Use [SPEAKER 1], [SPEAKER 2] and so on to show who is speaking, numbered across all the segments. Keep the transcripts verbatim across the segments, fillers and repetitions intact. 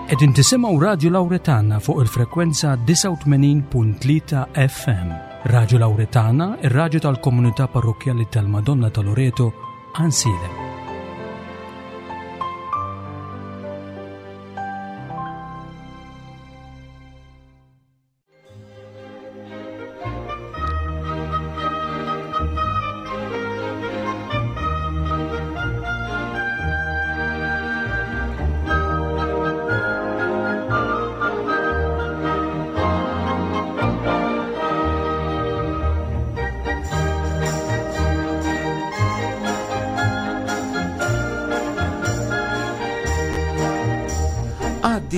[SPEAKER 1] Qegħdin tisimgħu Radio Lauretana fuq il-frekwenza disgħa u tmenin punt tlieta F M. Radio Lauretana, ir-radju tal-komunità parrokkjali tal-Madonna ta' Loreto, Għajnsielem.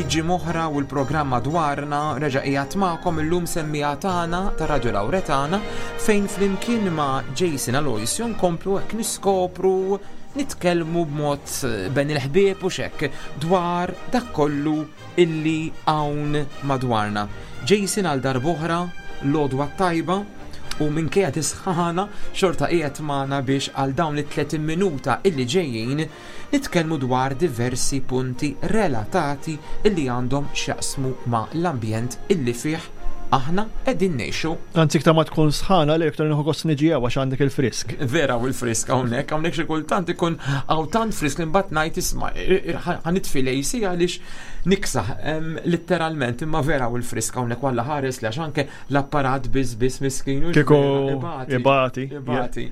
[SPEAKER 2] Ġi moħra u l-programma dwarna reġa' qiegħed magħkom illum semmija tagħna ta' Radio Lauretana fejn flimkien ma' Jason Aloisio nkomplu hekk niskopru nitkellmu b'mod ben il-ħbieb u xekk dwar dak kollu illi hawn madwarna. Jason għal darb'oħra l-għodwa tajba u minkejja tisħana xorta qiegħed magħna biex għal dawn it-tletin minuta illi ġejjin nitkellmu dwar diversi punti relatati illi għandhom x'jaqsmu ma' l-ambjent illi fih aħna qegħdin ngħixu.
[SPEAKER 3] Anzi, iktar ma tkun sħana li iktar nieħu gost niġi hawn għax għandek il-frisk.
[SPEAKER 2] Vera u l-frisk hawnhekk, hawnhekk xi kultant ikun hawn tant frisk li mbagħad ngħid isma' ħanitfi l-A C għaliex niksaħ, em, letteralment, imma vera u l-frisk hawnhekk walla ħares li għax anke l-apparat biss biss miskin u
[SPEAKER 3] Kieku
[SPEAKER 2] ibati.
[SPEAKER 3] ibati.
[SPEAKER 2] Ibati.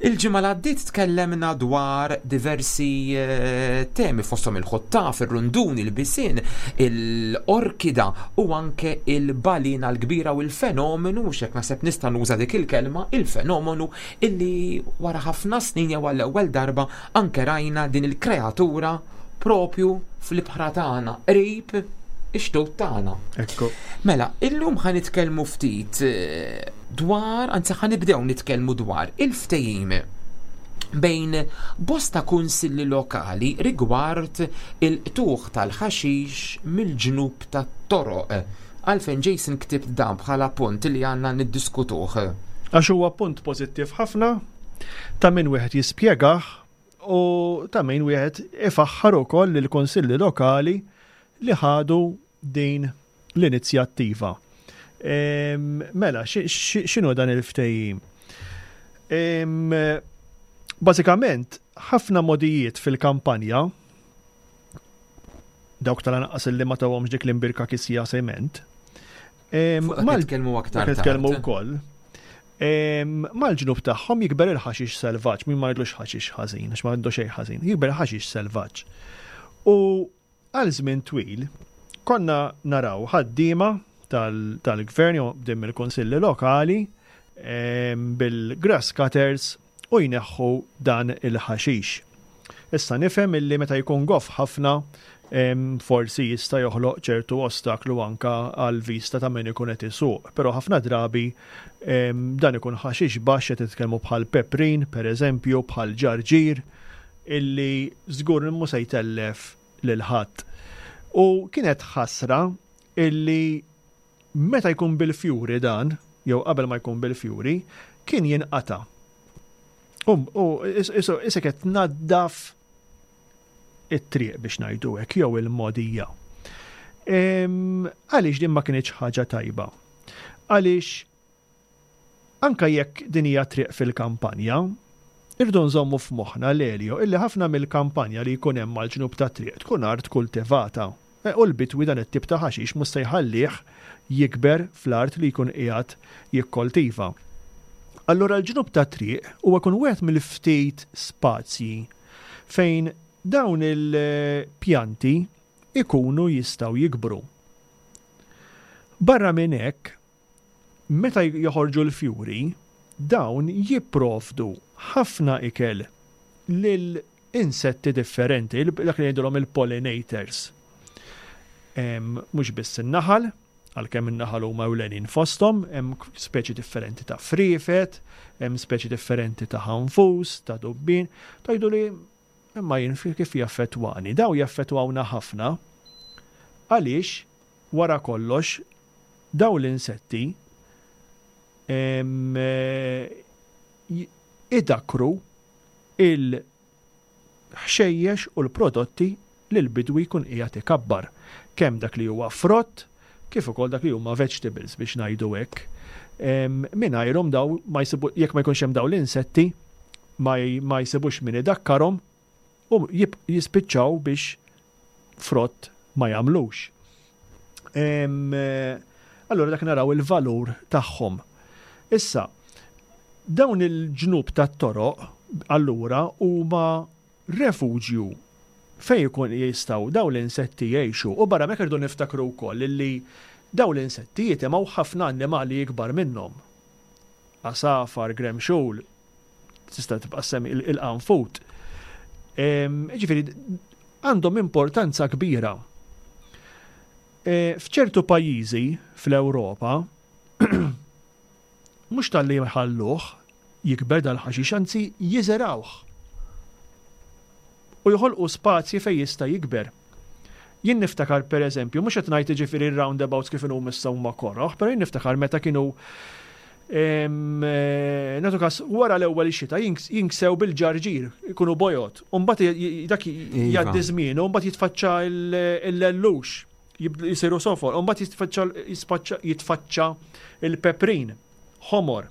[SPEAKER 2] Il-ġimgħa li għaddiet tkellemna dwar diversi, eh, temi fosthom il-ħottaf, ir-runduni, il-bisien, il-orkida u anke il-balina l-kbira u l-fenomenu, mhux hekk naħseb nista' nuża dik il-kelma, il-fenomenu illi wara ħafna snin jew għall-ewwel darba anke rajna din il-kreatura propju fl-ibħra tagħna, qrib ix-xtut tagħna.
[SPEAKER 3] Ekku.
[SPEAKER 2] Mela, illum ħa nitkellmu ftit, eh, dwar, anzi ħa nibdew nitkellmu dwar il-ftehim bejn bosta kunsilli lokali rigward il-qtuħ tal-ħaxix mill-ġnub tat-toroq. Għalfejn Jason ktibt dan bħala punt li għandna niddiskutuh?
[SPEAKER 3] Għax huwa punt pożittiv ħafna ta' min wieħed jispjegah u ta' min wieħed ifaħħar ukoll lill-kunsilli lokali li ħadu din l-inizjattiva. Em, mela, xi-, xi-, x'inhu dan il-ftehim? Em, bażikament, ħafna modijiet fil-kampanja, dawk tal-anqas li ma tawhomx dik l-imbirka kisija sement. Em,
[SPEAKER 2] Fuq dak
[SPEAKER 3] mal-
[SPEAKER 2] nitkellmu aktar
[SPEAKER 3] dak nitkellmu
[SPEAKER 2] tard.
[SPEAKER 3] wkoll. Em, mal-ġnub tagħhom jikber il-ħaxix selvaġġ, min ma jgħidlux ħaxix ħażin, għax ma għandu xejn ħażin, jikber il-ħaxix selvaġġ. U għal żmien twil konna naraw ħaddiema tal-, tal-gvern jew dim il-kunsilli lokali, em, bil-grass cutters u jneħħu dan il-ħaxix. Issa nifhem illi meta jkun goff ħafna, em, forsi jista' joħloq ċertu ostaklu anka għal vista ta' min ikun qed isuq, però ħafna drabi, em, dan ikun ħaxix baxx qed titkellmu bħal peprin, per eżempju, bħal ġarġir, illi żgur mhu se jtellef lil ħadd. U kienet ħasra illi meta jkun bil-fjuri dan, jew qabel ma jkun bil-fjuri, kien jinqata'. U, u is-, is-, isek qed tnaddaf it-triq biex ngħidu hekk jew il-modija. Em, għaliex din ma kienx ħaġa tajba? Għaliex anka jekk din hija triq fil-kampanja, irdu nżommu f'moħħna l-Elio illi ħafna mill-kampanja li jkun hemm mal-ġnub ta' triq tkun art kultivata. E, u l-bitwi dan it-tip ta' ħaxix mhux se jħallih jikber fl-art li jkun qiegħed jikkoltiva. Allura l-ġnub ta' triq huwa jkun wieħed mill-ftit spazji fejn dawn il-pjanti ikunu jistgħu jikbru. Barra minn hekk, meta joħorġu l-fjuri, dawn jipprovdu ħafna ikel lil insetti differenti, il-, dak li jgħidulhom il-pollinators. Em, mhux biss in-naħal, għalkemm in-naħal huma ewlenin fosthom, hemm speċi differenti ta' friefet, hemm speċi differenti ta' ħanfus, ta' dubbin, tgħidu li imma jien fi-, kif jaffettwani? Daw jaffettwawna ħafna għaliex wara kollox daw l-insetti, em, eh, j-, idakru il-ħxejjex u l-prodotti li l-bidwi jkun qiegħed ikabbar. Kemm dak li huwa frott, kif ukoll dak li huma vegetables, biex ngħidu hekk. Mingħajrhom daw ma jsibu, jekk ma jkunx hemm daw l-insetti, ma jsibux min idakkarhom u jispiċċaw biex frott ma jagħmlux. Allura dak naraw il-valur tagħhom. Issa, dawn il-ġnub tat-toroq allura huma refuġju fejn ikun jistgħu dawn l-insetti jgħixu, u barra hekk irdu niftakru wkoll illi dawn l-insetti jitimgħu ħafna annimali ikbar minnhom. Għasafar, gremxul, tista' tibqa' semmi il-qanfut. Ġifieri għandhom importanza kbira. E, f'ċertu pajjiżi fl-Ewropa mhux talli jħalluh jikber dal-ħaxix, anzi jiżerawh u joħolqu spazji fejn jista' jikber. Jien niftakar, per eżempju, mhux qed ngħid, ġifieri, roundabouts kif inhu issa huma koroħ, però jien niftakar meta kienu, eh, nagħtu każ, wara l-ewwel xita jinksew bil-ġarġir, ikunu bojod. U mbagħad dak iva. jgħaddi żmien, u mbagħad jitfaċċa l-lellux, jisiru sofor, u mbagħad jitfaċċa jitfaċċa il-peprin, ħomor.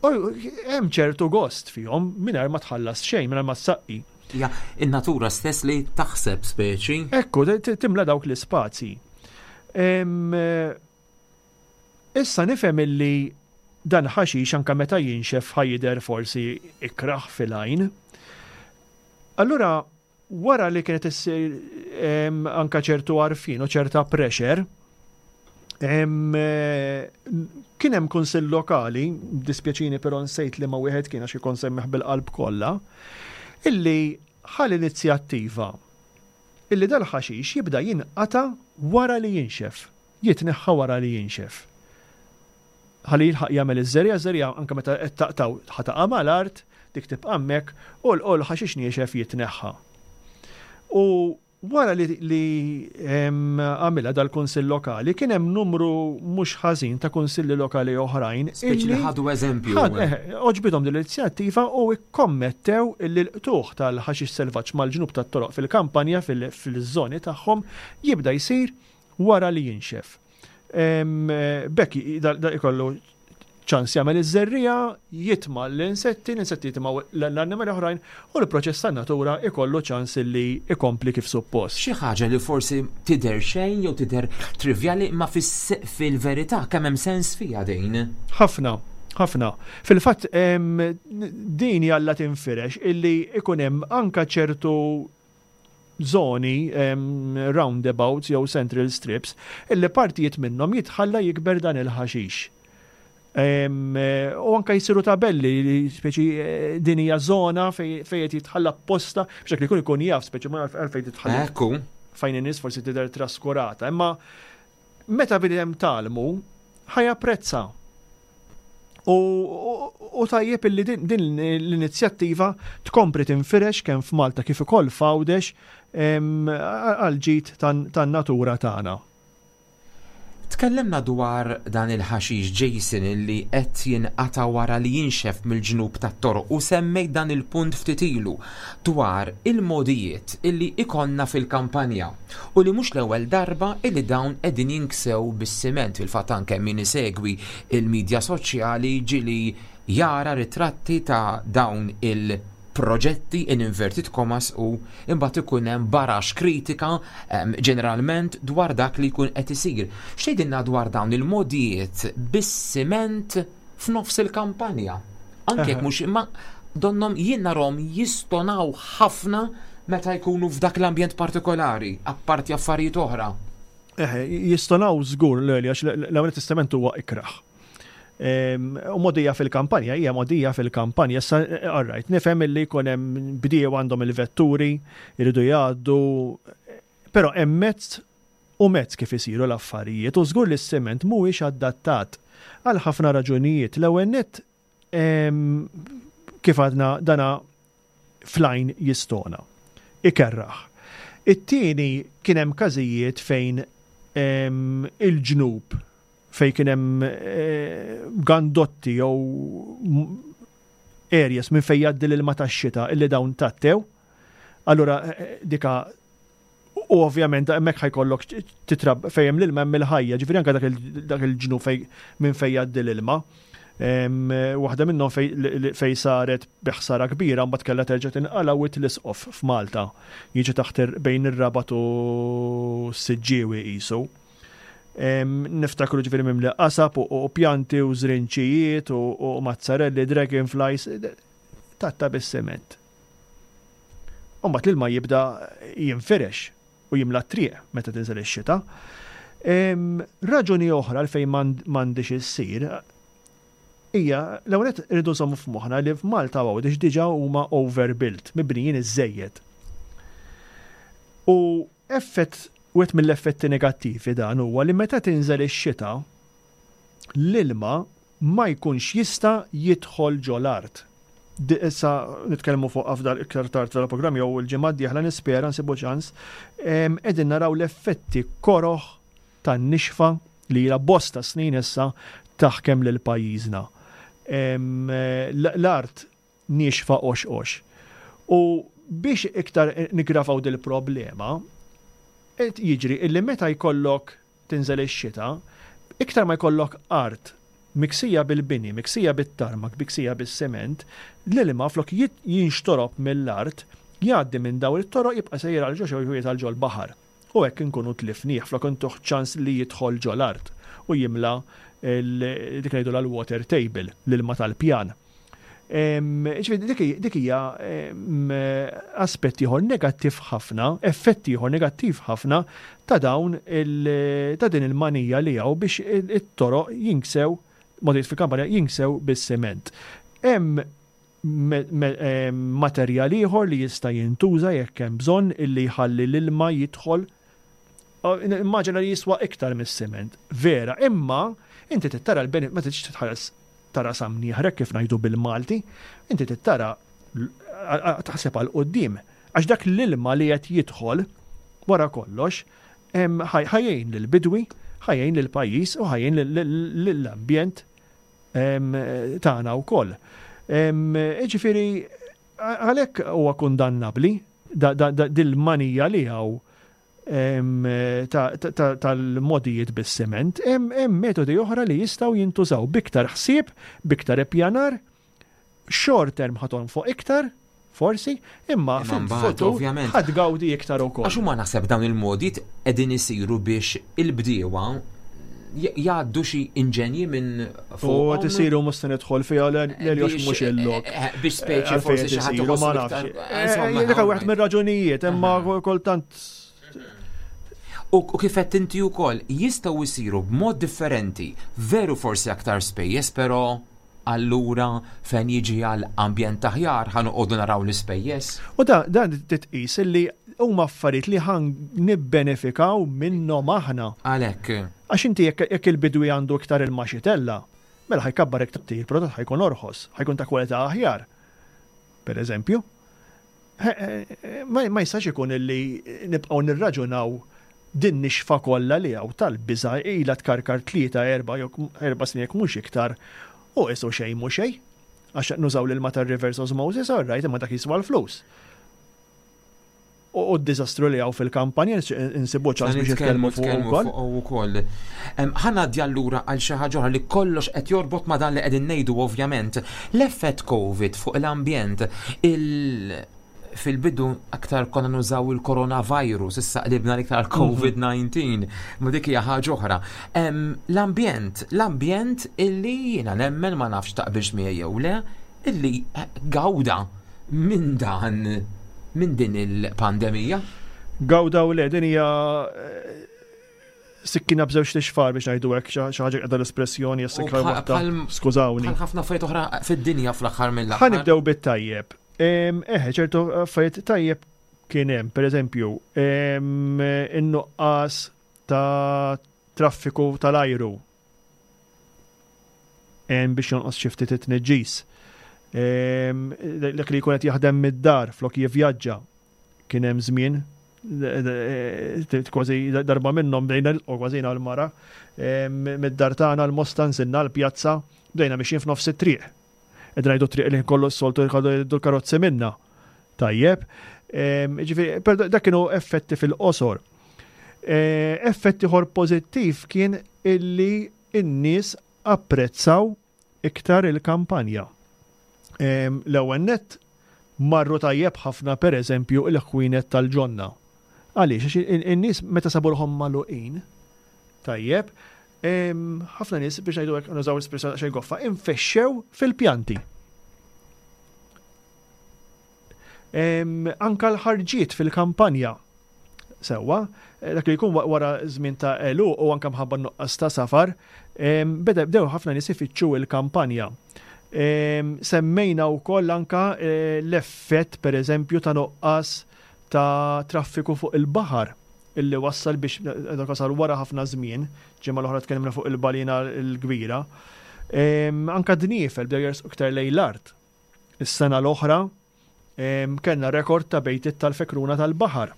[SPEAKER 3] Hemm ċertu gost fihom mingħajr ma tħallas xejn, mingħajr ma tsaqqi.
[SPEAKER 2] Ja, in-natura stess li taħseb speċi.
[SPEAKER 3] Ekku, timla dawk l-ispazji. Issa nifhem illi dan ħaxix, anka meta jinxef, ħa jidher forsi ikraħ fil-għajn. Allura, wara li kienet issir anka ċertu għarfien u ċerta pressure, kien hemm kunsill lokali, dispjaċini però nsejt li ma wieħed kien għax ikun semmiħ bil-qalb kollha, illi ħa l-inizjattiva illi dal-ħaxix jibda jinqata wara li jinxef, jitneħħa wara li jinxef. Ħalli jilħaq jagħmel iż-żerriegħa, żerriegħa anke meta qed taqtaw ħa taqa' mal-art, dik tibqa' hemmhekk u l-ħaxix niexef jitneħħa. U wara li, li għamilha dal-kunsill lokali, kien hemm numru mhux ħażin ta' kunsilli lokali oħrajn.
[SPEAKER 2] Speċi li ħadu eżempju.
[SPEAKER 3] Eh, għoġbithom din l-inizjattiva u ikkommettew li l-qtugħ tal-ħaxix selvaġġ mal-ġnub tat-toroq fil-kampanja, fil-żoni tagħhom, jibda jsir wara li jinxef. B'hekk da ikollu ċans jagħmel iż-żerriegħa, jitma' l-insetti, l-insetti jitimgħu l-annimali oħrajn u l-proċess tan-natura ikollu ċans li ikompli kif suppost.
[SPEAKER 2] Xi ħaġa li forsi tidher xejn jew tidher trivjali, ma fil-verità kemm hemm sens fiha din.
[SPEAKER 3] Ħafna, ħafna. Fil-fatt din jalla tinfirex, illi ikun hemm anka ċertu zoni, roundabouts jew central strips, illi partijiet minnhom jitħalla jikber dan il-ħaxix. U anka jisiru tabelli, speċi eh, din hija zona fejn qed jitħalla posta biex dak li jkun ikun jaf, speċi ma għalfejn titħalla.
[SPEAKER 2] Ekku.
[SPEAKER 3] Fejn in-nies forsi tidher traskurata, imma meta bidem talmu ħa japprezza. U, u tajjeb illi din, din l-inizjattiva tkompli tinfirex kemm f'Malta kif ukoll f'Għawdex għal ġid tan-natura tagħna.
[SPEAKER 2] Tkellimna dwar dan il-ħaxix, Jason, illi qed jinqata wara li jinxef mill-ġnub tat-toroq, u semmejt dan il-punt ftit ilu dwar il-mogħdijiet illi ikonna fil-kampanja u li mhux l-ewwel darba illi dawn qegħdin jinksew bis-siment. Fil-fatt anke min isegwi il-medja soċjali ġieli jara ritratti ta' dawn il- proġetti in inverted commas, u imbagħad ikun hemm barax kritika ġeneralment dwar dak li jkun qed isir. X'tgħidilna dwar dawn il-mogħdijiet bis-siment f'nofs il-kampanja? Anke jekk mhux, imma donnhom jien narhom jistonaw ħafna meta jkunu f'dak l-ambjent partikolari, apparti affarijiet oħra.
[SPEAKER 3] Eħe, jistonaw żgur l għax l-ewwel testament huwa ikraħ. U mogħdija fil-kampanja, hija mogħdija fil-kampanja, issa, all right, nifhem illi jkun hemm bdiew għandhom il-vetturi, jridu jgħaddu, però hemm mezz u mezz kif isiru l-affarijiet, u żgur li s-siment mhuwiex adattat għal ħafna raġunijiet. L-ewwel nett, kif għadna, dana fl-għajn jistona, ikerraħ. It-tieni, kien hemm każijiet fejn il-ġnub fej kien hemm eh, gandotti jew areas minn fejn jgħaddi l-ilma tax-xita illi dawn tattew. Allura eh, dika U ovvjament hemmhekk ħa jkollok titrab fejn l-ilma hemm il-ħajja, ġifieri anke dak il-ġnub minn fejn jgħaddi l-ilma. Waħda minnhom fej saret biħsara kbira mbagħad kellha terġa' tinqala Wied l-Isqof f'Malta. Jiġi taħt bejn ir-Rabat u s-Siġġiewi qisu. Niftakru ġifieri mimli qasab u pjanti u żrinċijiet u mazzarelli, dragonflies, tgħatta bis-sement. U mbagħad l-ilma jibda jinfirex u jimla triq meta tinżel ix-xita. Raġuni oħra għalfejn m'għandix issir hija l-ewwel irridu nżommu f'moħħna li f'Malta Għawdex diġà huma overbuilt, mibnijin iżejjed. U effett wieħed mill-effetti negattivi dan huwa li meta tinżel ix-xita l-ilma ma jkunx jista' jidħol ġol-art. Issa nitkellmu fuq afdal iktar tard fil-programm jew il-ġimgħa d-dieħla nispera nsibu ċans, qegħdin naraw l-effetti koroh tan-nixfa li ilha bosta snin issa taħkem lil pajjiżna. L-art niexfa qox qox. U biex iktar niggravaw dil-problema, qed jiġri illi meta jkollok tinżel ix-xita, iktar ma jkollok art miksija bil-bini, miksija bit-tarmak, miksija bis-sement, l-ilma flok jinxtorob mill-art, jgħaddi minn daw it-toroq jibqa' sejjer għal ġo xejn għal ġol baħar. U hekk inkunu tlifnieh flok intuh ċans li jidħol ġol-art u jimla dik ngħidu l-water table, l-ilma tal-pjan. Dik hija aspett ieħor negattiv ħafna, effett ieħor negattiv ħafna ta' dawn ta' din il-manija li hawn biex it-toroq jinksew, modijiet fil-kampanja jinksew bis-sement. Hemm materjal ieħor li jista' jintuża jekk hemm bżonn illi jħalli l-ilma jidħol. Immaġina li jiswa iktar mis-sement. Vera, imma inti tittara l-benefit, ma tridx titħares tara samnieħrek kif ngħidu bil-Malti, inti tittara taħseb għal quddiem. Għax dak l-ilma li qed jidħol wara kollox, ħa jgħin lill-bidwi, ħa jgħin lill-pajjiż u ħa jgħin lill-ambjent tagħna wkoll. Ġifieri għalhekk huwa kundannabbli dil-manija li hawn tal-modijiet bis-sement, hemm metodi oħra li jistgħu jintużaw biktar ħsieb, biktar ippjanar, short term ħa tonfoq iktar, forsi, imma fil-futur ħa tgawdi iktar ukoll.
[SPEAKER 2] Għax huma naħseb dawn il-modijiet qegħdin isiru biex il-bdiewa jgħaddu xi inġenji minn
[SPEAKER 3] fuq. U qed isiru mhux se nidħol fiha l mhux il-lok.
[SPEAKER 2] Biex speċi forsi xi ħadd
[SPEAKER 3] ma nafx. Dik wieħed mir-raġunijiet, imma kultant.
[SPEAKER 2] U kif qed inti wkoll jistgħu jsiru b'mod differenti, veru forsi aktar spejjeż, però allura fejn jiġi għal ambjent aħjar ħa noqogħdu naraw l-ispejjeż.
[SPEAKER 3] U da dan titqis illi huma affarijiet li ħan nibbenefikaw minnhom aħna.
[SPEAKER 2] Għalhekk.
[SPEAKER 3] Għax inti jekk il-bidwi għandu iktar il-maxitella, mela ħa jkabbar iktar il-prodott ħa jkun orħos, ħa jkun ta' kwalità aħjar. Per eżempju, ma jistax ikun illi nibqgħu nirraġunaw din nixfa kollha li hawn tal-biża' ilha tkarkar tlieta erba' jew erba' snin jekk mhux iktar u qisu xejn mhu xejn. Għax nużaw l-ilma tar-reverse osmosis, all right, imma dak jiswa l-flus. U d-diżastru li hawn fil-kampanja insibu ċans biex nitkellmu fuq
[SPEAKER 2] ukoll. Ħa ngħaddi allura għal xi ħaġa oħra li kollox qed jorbot ma' dan li qegħdin ngħidu ovvjament. L-effett COVID fuq l-ambjent, il fil-bidu aktar konna nużaw il-coronavirus, issa qlibna l-iktar COVID nineteen, ma dik hija ħaġa oħra. L-ambjent, l-ambjent illi jiena nemmen ma nafx taqbilx miegħi jew le, illi gawda minn dan, minn din il-pandemija.
[SPEAKER 3] Gawda u le, din hija sikkina b'żewġ tixfar biex ngħidu hekk, xi ħaġa qiegħda l-espressjoni issa waħda. Skużawni.
[SPEAKER 2] Bħal ħafna affarijiet oħra fid-dinja fl-aħħar mill-aħħar.
[SPEAKER 3] Ħa nibdew bit-tajjeb. Eħe, ċertu affarijiet tajjeb kien hemm, pereżempju, in-nuqqas ta' traffiku tal-ajru hemm biex jonqos xi ftit it-tniġġis. Dak li jkun qed jaħdem mid-dar flok jivvjaġġa kien hemm żmien kważi darba minnhom bdejna nilqgħu kważi l-mara mid-dar tagħna l-Mosta nżilna l-pjazza bdejna mixjin f'nofs it-triq. Qed ngħidu triq li kollu s-soltu jkollu jgħidu l-karozzi minna. Tajjeb. Ġifieri, però dak kienu effetti fil-qosor. Eh, effett ieħor pożittiv kien illi n-nies apprezzaw iktar il-kampanja. L-ewwel nett marru tajjeb ħafna, per eżempju, il-ħwienet tal-ġonna. Għaliex? Għax in-nies meta sabu ruħhom magħluqin, tajjeb, ħafna nies, biex ngħidu hekk, nużaw l-espressjoni xejn goffa, infexxew fil-pjanti. Anka l-ħarġiet fil-kampanja. Sewwa, eh, dak li jkun wara żmien ta' elu u anka mħabba nuqqas ta' safar, beda bdew ħafna nies ifittxu il-kampanja. Semmejna wkoll anka eh, l-effett, per eżempju, ta' nuqqas ta' traffiku fuq il-baħar illi wassal biex dak wasal wara ħafna żmien, ġimgħa l-oħra tkellimna fuq il-balina l-kbira. Anka dniefel bdew jersqu iktar lejn l-art. Is-sena l-oħra kellna rekord ta' bejtiet tal-fekruna tal-baħar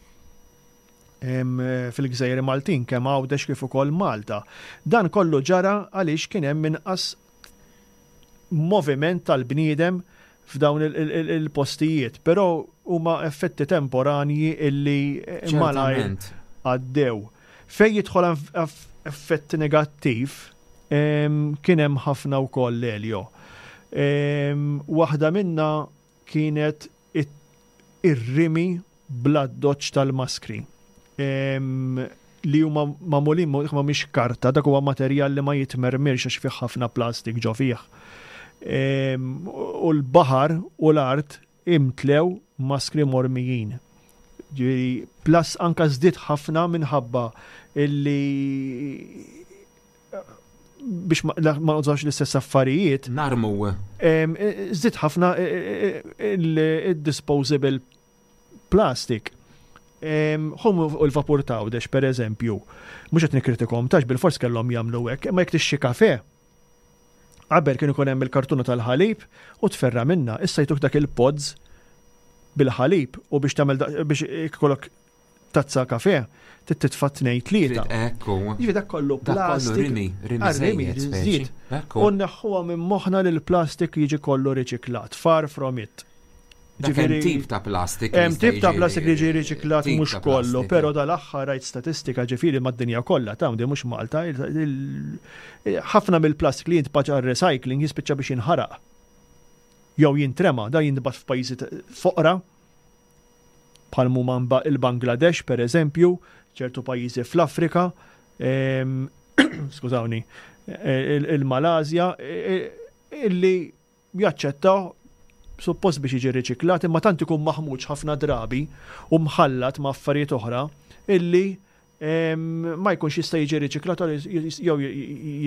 [SPEAKER 3] fil-Gżejjer Maltin, kemm Għawdex kif ukoll Malta. Dan kollu ġara għaliex kien hemm inqas moviment tal-bniedem f'dawn il-postijiet, però huma effetti temporanji illi malajr għaddew. Fej jidħol effett negattiv, kien hemm ħafna wkoll, Elio. Waħda minna kienet ir-rimi bl-addoċċ tal-maskri li huma magħmulin ma mhix karta, dak huwa materjal li ma jitmermirx għax fih ħafna plastik ġo fih. U l-baħar u l-art imtlew maskri mormijin. Ġifieri, plus anka żdied ħafna minħabba illi biex ma nużawx l-istess affarijiet.
[SPEAKER 2] Narmu.
[SPEAKER 3] Żdied ħafna il-disposable plastic. Hum u l-vapur t'Għawdex, per eżempju, mhux qed nikkritikom tax bil-fors kellhom jagħmlu hekk, imma jekk tixxi kafe, qabel kien ikun hemm il-kartuna tal-ħalib u tferra minna, issa jtuk dak il-pods bil-ħalib u biex tagħmel biex ikollok tazza kafe, titfa' tnejn tlieta.
[SPEAKER 2] Ekku.
[SPEAKER 3] Jiġifieri dak kollu plastik.
[SPEAKER 2] Rimi, rimi
[SPEAKER 3] żied. U neħħuha minn moħħna li l-plastik jiġi kollu riċiklat. Far from it.
[SPEAKER 2] Ġifieri tip ta' plastik.
[SPEAKER 3] Hemm tip ta' plastik li jiġi riċiklat, mhux kollu, però dal-aħħar rajt statistika, ġifieri mad-dinja kollha ta' di, mhux Malta, ħafna mill-plastik li jintbagħat recycling jispiċċa biex jinħaraq. Jew jintrema, da jintbagħat f'pajjiżi foqra bħal huma il-Bangladesh, per eżempju, ċertu pajjiżi fl-Afrika, skużawni, il-Malazja, illi jaċċettaw suppost biex jiġi riċiklat, imma tant ikun maħmuġ ħafna drabi u mħallat ma' affarijiet oħra illi ma jkunx jista' jiġi riċiklat, jew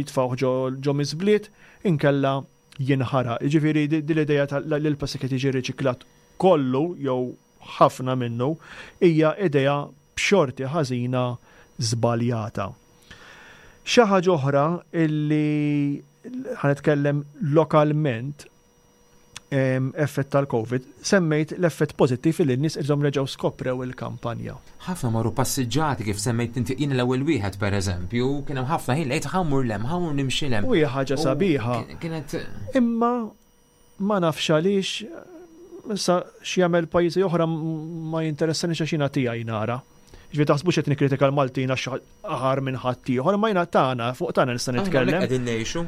[SPEAKER 3] jitfgħu ġo miżbliet inkella jinħaraq. Ġifieri din l-idea li l-plastik qed jiġi riċiklat kollu jew ħafna minnu hija idea b'xorti ħażina żbaljata. Xi ħaġa oħra illi ħa nitkellem lokalment, effett tal-Covid, semmejt l-effett pożittiv li n-nies irżom reġgħu skoprew il-kampanja.
[SPEAKER 2] Ħafna marru passiġġati, kif semmejt inti, jien l-ewwel wieħed, per eżempju, kien hemm ħafna ħin lejt ħa mmur 'l hemm, ħa mmur nimxi 'l hemm.
[SPEAKER 3] U hija ħaġa sabiħa.
[SPEAKER 2] Kienet
[SPEAKER 3] Imma ma nafx għaliex, issa x'jagħmel pajjiżi oħra ma jinteressani għax jiena tiegħi nara. Ġifieri taħsbux qed nikkritika l-Maltin għax aħar minn ħadd ieħor, ma jiena tagħna, fuq tagħna nista' nitkellem.
[SPEAKER 2] Qegħdin ngħixu.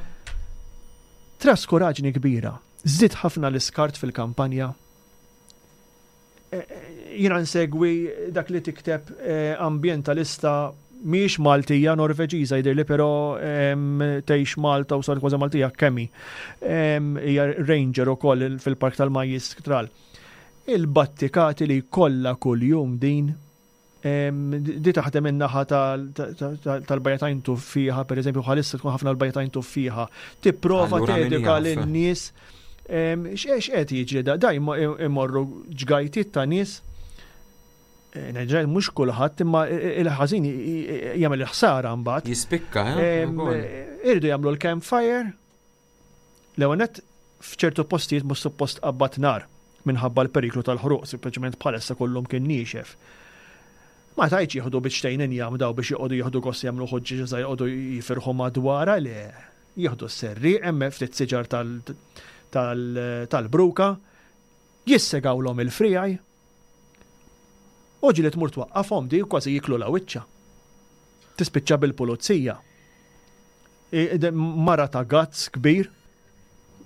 [SPEAKER 3] Traskuraġni kbira. Żdied ħafna l-iskart fil-kampanja. E, e, jiena nsegwi dak li tikteb e, ambientalista mhix Maltija, Norveġiża jidhirli, però tgħix Malta u sar kważi Maltija kemmi. Hija ranger ukoll fil-Park tal-Majjistral. Il-battikati li kollha kuljum din di taħdem in-naħa tal-Bajja t'Għajn Tuffieħa, per eżempju, bħalissa tkun ħafna l-Bajja t'Għajn Tuffieħa. Tipprova teduka lin-nies x'qed jiġri da, da imorru ġgajtiet ta' nies. Neġġel, mhux kulħadd, imma il-ħażin jagħmel il-ħsara mbagħad.
[SPEAKER 2] Jispikka, eh?
[SPEAKER 3] Irridu jagħmlu l-campfire. L-ewwel f'ċertu postijiet mhux suppost qabbat nar minħabba l-periklu tal-ħruq, sempliċement bħalissa kollhom kien niexef. Ma tajċ jieħdu biċċtejn injam daw biex joqogħdu jieħdu gost jagħmlu ħuġġieġa żgħir, joqogħdu jifirħu madwarha, le. Jieħdu s-serri, hemm ftit siġar tal-bruka, jissegawlhom il-frijaj, U ġieli tmur twaqqafhom di kważi jiklu la wiċċa. Tispiċċa bil-pulizija. Mara ta' guts kbir,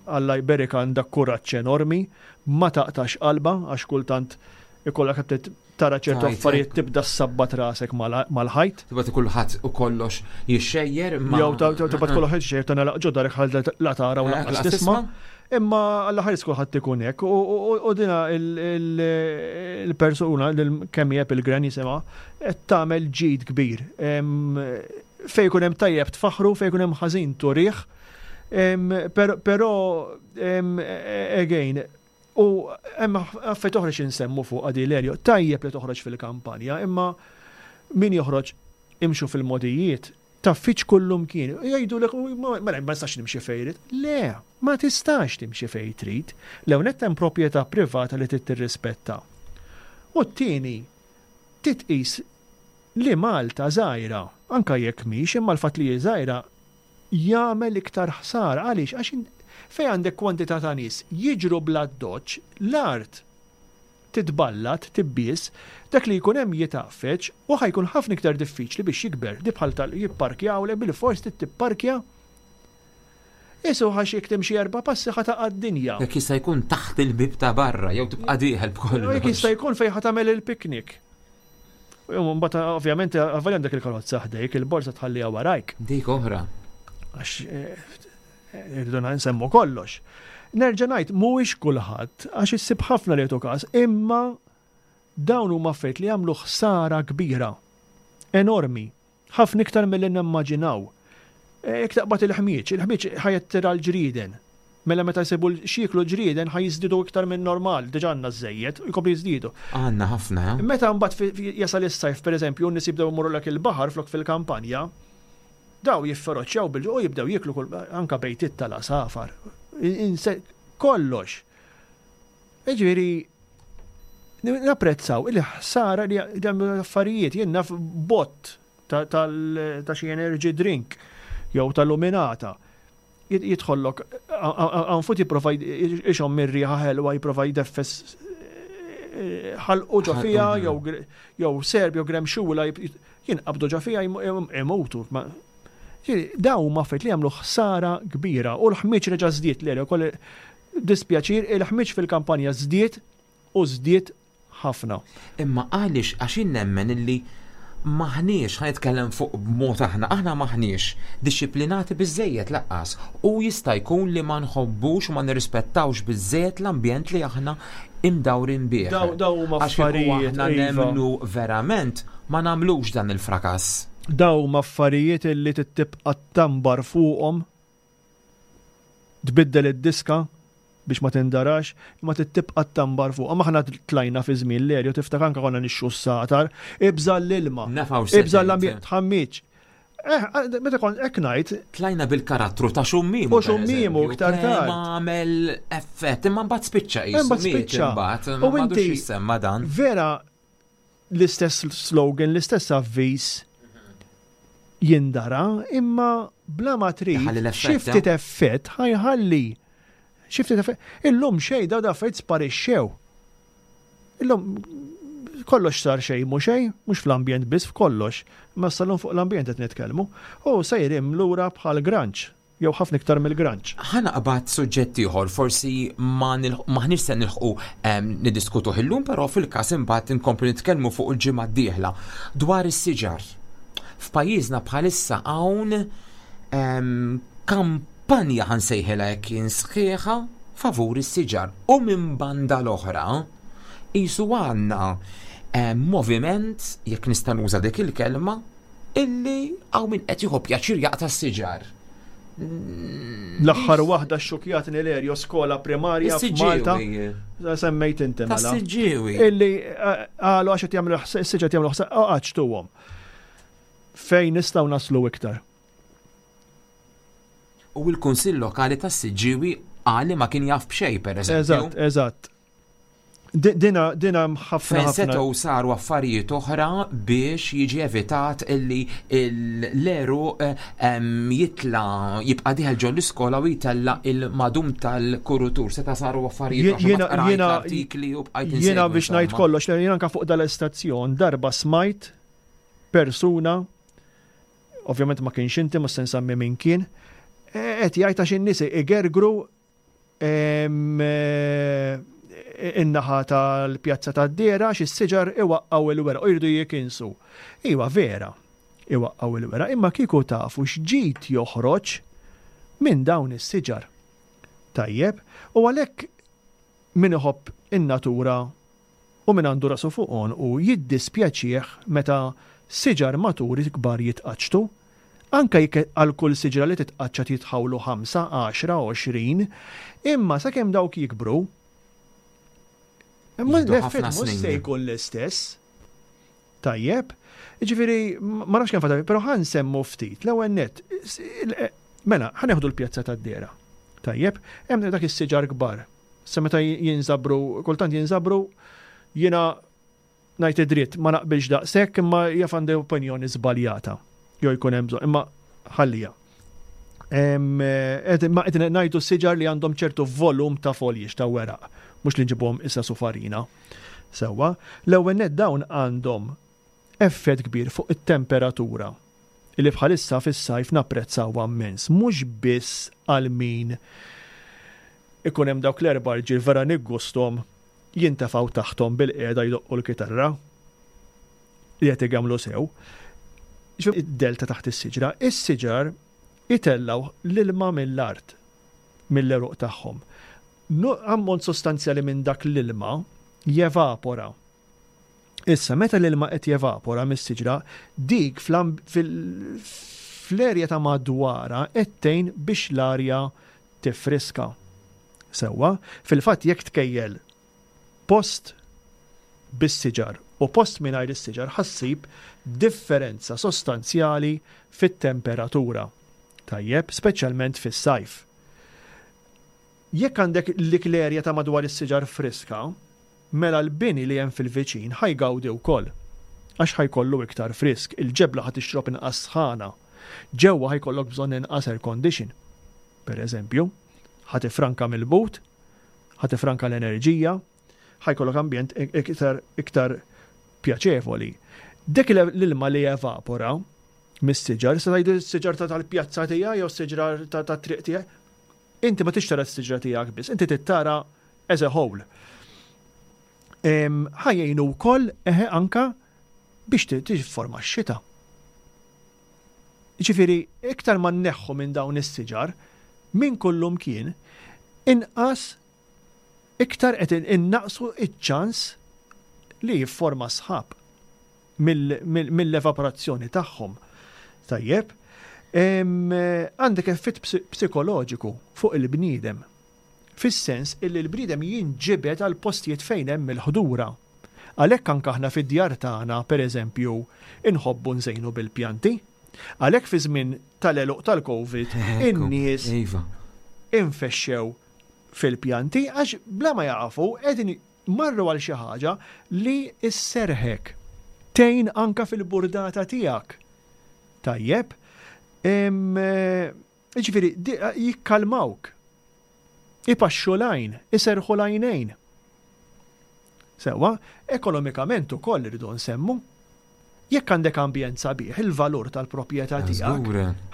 [SPEAKER 3] Alla jberik, għandha kuraġġ enormi, ma taqtax qalba, għax kultant ikollok qed tara ċertu affarijiet tibda sabbat rasek mal-ħajt.
[SPEAKER 2] Tibgħat kulħadd u kollox jixxejjer
[SPEAKER 3] ma. Jew tibgħat kollox jixxejjer ta' ġo darek ħal la tara u lanqas tisma'. Imma Alla ħares kulħadd ikun hekk u dina il-persuna kemm hija il-gran jisimha qed tagħmel ġid kbir. Fejn ikun hemm tajjeb tfaħru, fejn ikun hemm ħażin turih. Però again, u hemm affarijiet oħra xi nsemmu fuq għadi l tajjeb li toħroġ fil-kampanja, imma min joħroġ imxu fil-modijiet, taffiċ kullum kien. Jgħidu l ma ma nistax nimxi fejn. Le, ma tistax timxi fejn trid. L-ewwel hemm proprjetà privata li trid tirrispetta. U t-tieni, titqis li Malta żgħira, anka jekk mhix, imma l-fatt li hi żgħira jagħmel iktar ħsara. Għaliex? Għax fejn għandek kwantità ta' nies jiġru bla doċ, l-art titballat, tibbies, dak li jkun hemm jitgħaffeġ u ħa jkun ħafna iktar diffiċli biex jikber. Di bħal tal jipparkjaw le bil-fors tipparkja. Isu għax jekk timxi erba' passi ħa taqa' d-dinja.
[SPEAKER 2] Jekk jista' jkun taħt il-bib ta' barra jew tibqa' dieħel b'kollox.
[SPEAKER 3] Jekk jista' jkun fejn ħa tagħmel il-piknik. U mbagħad ovvjament avolja għandek il-karozza ħdejk, il-borsa tħalliha warajk.
[SPEAKER 2] Dik oħra.
[SPEAKER 3] Għax irridu nsemmu kollox. Nerġa' ngħid mhuwiex kulħadd għax issib ħafna li jagħtu każ, imma dawn huma affarijiet li jagħmlu ħsara kbira, enormi, ħafna iktar milli nimmaġinaw. Jekk taqbad il-ħmieġ, il-ħmieġ ħa jattira l-ġrieden. Mela meta jsibu x'jieklu ġrieden ħa jiżdiedu iktar minn normal, diġà għandna żejjed, u jkomplu jiżdiedu.
[SPEAKER 2] Għandna ħafna. Eh?
[SPEAKER 3] Meta mbagħad jasal is-sajf, pereżempju, n-nies jibdew imorru lek il-baħar flok fil-kampanja, daw jifferoċjaw bil u jibdew jieklu anka bejtiet tal-għasafar. Kollox. Ġifieri, napprezzaw il-ħsara li jagħmlu affarijiet, jien naf bott ta' xi energy drink jew tal-luminata jidħollok għanfut jipprova ixom mir-riħa ħelwa, jipprova jdeffes ħalqu ġo fija jew serb jew gremxula jinqabdu ġo fija, imutu. Daw huma affarijiet li jagħmlu ħsara kbira u l-ħmiġ reġa' żdied l ukoll, dispjaċir, il-ħmiġ fil-kampanja żdied u żdied ħafna.
[SPEAKER 2] Imma għaliex? Għax nemmen illi maħniex, ħa nitkellem fuq b'mod aħna, aħna maħniex disciplinati biżejjed lanqas u jista' jkun li ma nħobbux u ma nirrispettawx biżejjed l-ambjent li aħna imdawrin bih.
[SPEAKER 3] Daw daw huma affarijiet
[SPEAKER 2] aħna iva. Nemmnu verament ma nagħmlux dan il-frakass.
[SPEAKER 3] Daw huma affarijiet li tibqa' tambar fuqhom, tbiddel id-diska biex ma tindarax, imma tibqa' tambar fuq. Ma aħna tlajna fi żmien l-erju, tiftakar, anka konna nixxu s-satar, ibża l-ilma, ibża l-ambjent, tħammiċ. Eh, meta kont hekk ngħid.
[SPEAKER 2] Tlajna bil-karattru ta' xummimu.
[SPEAKER 3] U xummimu iktar tard.
[SPEAKER 2] Ma għamel effett, imma mbagħad spiċċa
[SPEAKER 3] qisu. Mbagħad spiċċa.
[SPEAKER 2] U inti jissemma dan.
[SPEAKER 3] Vera l-istess slogan, l-istess avviż jindara, imma bla ma trid xi ftit effett ħa jħalli. Xi ftit effett. Illum xejn, daw da affarijiet sparixxew. Illum kollox sar xejn mhu xejn, mhux fl-ambjent biss, f'kollox. Ma sal-lum fuq l-ambjent qed nitkellmu. U sejrim lura bħal granċ, jew ħafna iktar mill-granċ.
[SPEAKER 2] Ħa naqbad suġġett ieħor, forsi ma maħniex se nilħqu niddiskutu illum, però fil-każ imbagħad inkomplu nitkellmu fuq il-ġimgħa d-dieħla dwar is-siġar. F'pajjiżna bħalissa hawn kampanja, ħa nsejħilha hekk, sħiħa favur is-siġar u minn banda l-oħra qisu għandna moviment, jekk nista' nuża dik il-kelma, illi hawn min qed jieħu pjaċir jaqta' s-siġar.
[SPEAKER 3] L-aħħar waħda xxukjatni l-erjo skola primarja f'Malta. Semmejt inti mela.
[SPEAKER 2] Tas-Siġġiewi.
[SPEAKER 3] Illi qalu għax qed jagħmlu s-siġar, jagħmlu għaċtuhom. Fejn nistgħu naslu iktar?
[SPEAKER 2] U l-Kunsill Lokali tas-Siġġiewi qal li ma kien jaf b'xejn, pereżempju.
[SPEAKER 3] Eżatt, eżatt. Dina dina ħafna.
[SPEAKER 2] Fejn setgħu saru affarijiet oħra biex jiġi evitat illi l-għeruq jitla jibqa' dieħel ġol l-iskola u jtella il-madum tal-kurutur. Seta' saru affarijiet oħra.
[SPEAKER 3] Jiena
[SPEAKER 2] artikli u bqajt
[SPEAKER 3] Jiena biex ngħid kollox, jiena anka fuq dal-istazzjon darba smajt persuna, ovvjament ma kienx inti, ma se nsemmi min kien, qed jgħid għax in-nies igergru in-naħa tal-pjazza tad-Dehra xi siġar iwaqqgħu il-weraq u jridu jikinsu. Iwa vera, iwaqqgħu il-weraq, imma kieku tafu x'ġid joħroġ minn dawn is-siġar. Tajjeb, u għalhekk min iħobb in-natura u min għandu rasu fuq u jiddispjaċih meta siġar maturi kbar jitqaċċtu, anka jekk għal kull siġra li titqaċċat jitħawlu ħamsa, għaxra, għoxrin, imma sakemm dawk jikbru, imma l-effett mhux se jkun l-istess. Tajjeb, ġifieri, ma nafx kemm fadal, però ħa nsemmu ftit, l-ewwel nett, mela, ħa neħdu l-pjazza tad-Dehra. Tajjeb, hemm dak is-siġar kbar. Sa meta jinżabru, kultant jinżabru, jiena ngħid id-dritt ma naqbilx daqshekk imma jaf għandi opinjoni żbaljata. Jew jkun hemm bżonn, imma ħallija. Ma qed ngħidu siġar li għandhom ċertu volum ta' foliage ta' weraq, mhux li nġibuhom issa sufarina. Sewwa, l-ewwel nett dawn għandhom effett kbir fuq it-temperatura illi bħalissa fis-sajf napprezzaw immens, mhux biss għal min ikun hemm dawk l-erba' rġiel vera niggustom jintefgħu taħthom bil-qiegħda jdoqqu l-kitarra li qed jagħmlu sew. Id-delta taħt is-siġra, is-siġar itellaw l-ilma mill-art, mill-għeruq tagħhom. Ammont sostanzjali minn dak l-ilma jevapora. Issa, meta l-ilma qed jevapora mis-siġra, dik fl-erja ta' madwara qed tgħin biex l-arja tifriska. Sewwa, fil-fatt jekk tkejjel post bis-siġar u post mingħajr is-siġar ħa ssib differenza sostanzjali fit-temperatura. Tajjeb, speċjalment fis-sajf. Jekk għandek l-erja ta' madwar is-siġar friska, mela l-bini li hemm fil-viċin ħa jgawdi wkoll. Għax ħa jkollu iktar frisk, il-ġebla ħa tixrob inqas sħana. Ġewwa ħa jkollok bżonn inqas air condition. Per eżempju, ħa tifranka mill-but, ħa tifranka l-enerġija, ħa jkollok ambjent iktar iktar pjaċevoli. Dik l-ilma li evapora mis-siġar, se tgħidu s-siġar tal-pjazza tiegħi jew s-siġra tat-triq tiegħi, inti ma tixtara s-siġra tiegħek biss, inti tittara as a whole. Ħa jgħinu wkoll eħe anka biex tifforma x-xita. Ġifieri, iktar ma nneħħu minn dawn is-siġar, minn kullum kien, inqas iktar qed innaqsu iċ-ċans li jifforma sħab mill-evaporazzjoni tagħhom. Tajjeb, għandek effett psikoloġiku fuq il-bniedem. Fis-sens illi l-bniedem jinġibed għal postijiet fejn hemm il-ħdura. Għalhekk anke aħna fid-djar tagħna, pereżempju, inħobbu nżejnu bil-pjanti. Għalhekk fi żmien tal-għeluq tal-Covid, in-nies
[SPEAKER 2] Iva.
[SPEAKER 3] infexxew fil-pjanti għax bla ma jafu qegħdin marru għal xi ħaġa li sserrħek. Tgħin anka fil-burdata tiegħek. Tajjeb, ġifieri jikkalmawk. Ipaxxu l-għajn, iserħu l-għajnejn. Sewwa, ekonomikament ukoll irridu nsemmu. Jekk għandek ambjent sabiħ, il-valur tal-proprjetà tiegħek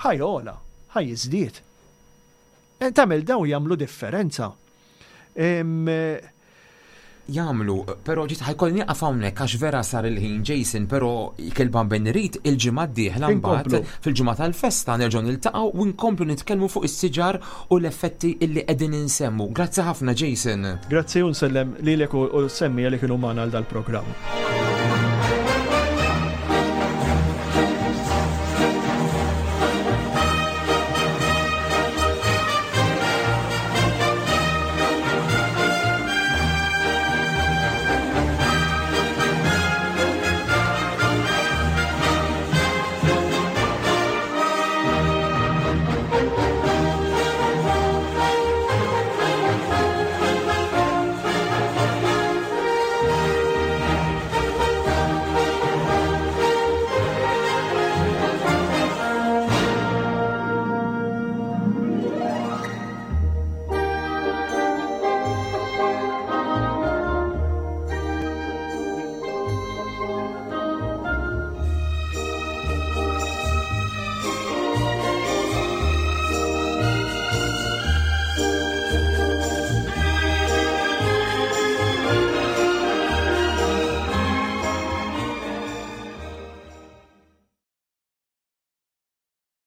[SPEAKER 3] ħa jogħla, ħa jiżdied. Tagħmel dawn jagħmlu differenza.
[SPEAKER 2] Jagħmlu, però ġiet ħa jkolli nieqaf hawnhekk għax vera sar il-ħin Jason, però kelba ben irid il-ġimgħa d-dieħla mbagħad fil-ġimgħa tal-festa nerġgħu niltaqgħu u nkomplu nitkellmu fuq is-siġar u l-effetti illi qegħdin insemmu. Grazzi ħafna Jason.
[SPEAKER 3] Grazzi u nsellem lilek u semmi li kienu magħna għal dal-programm.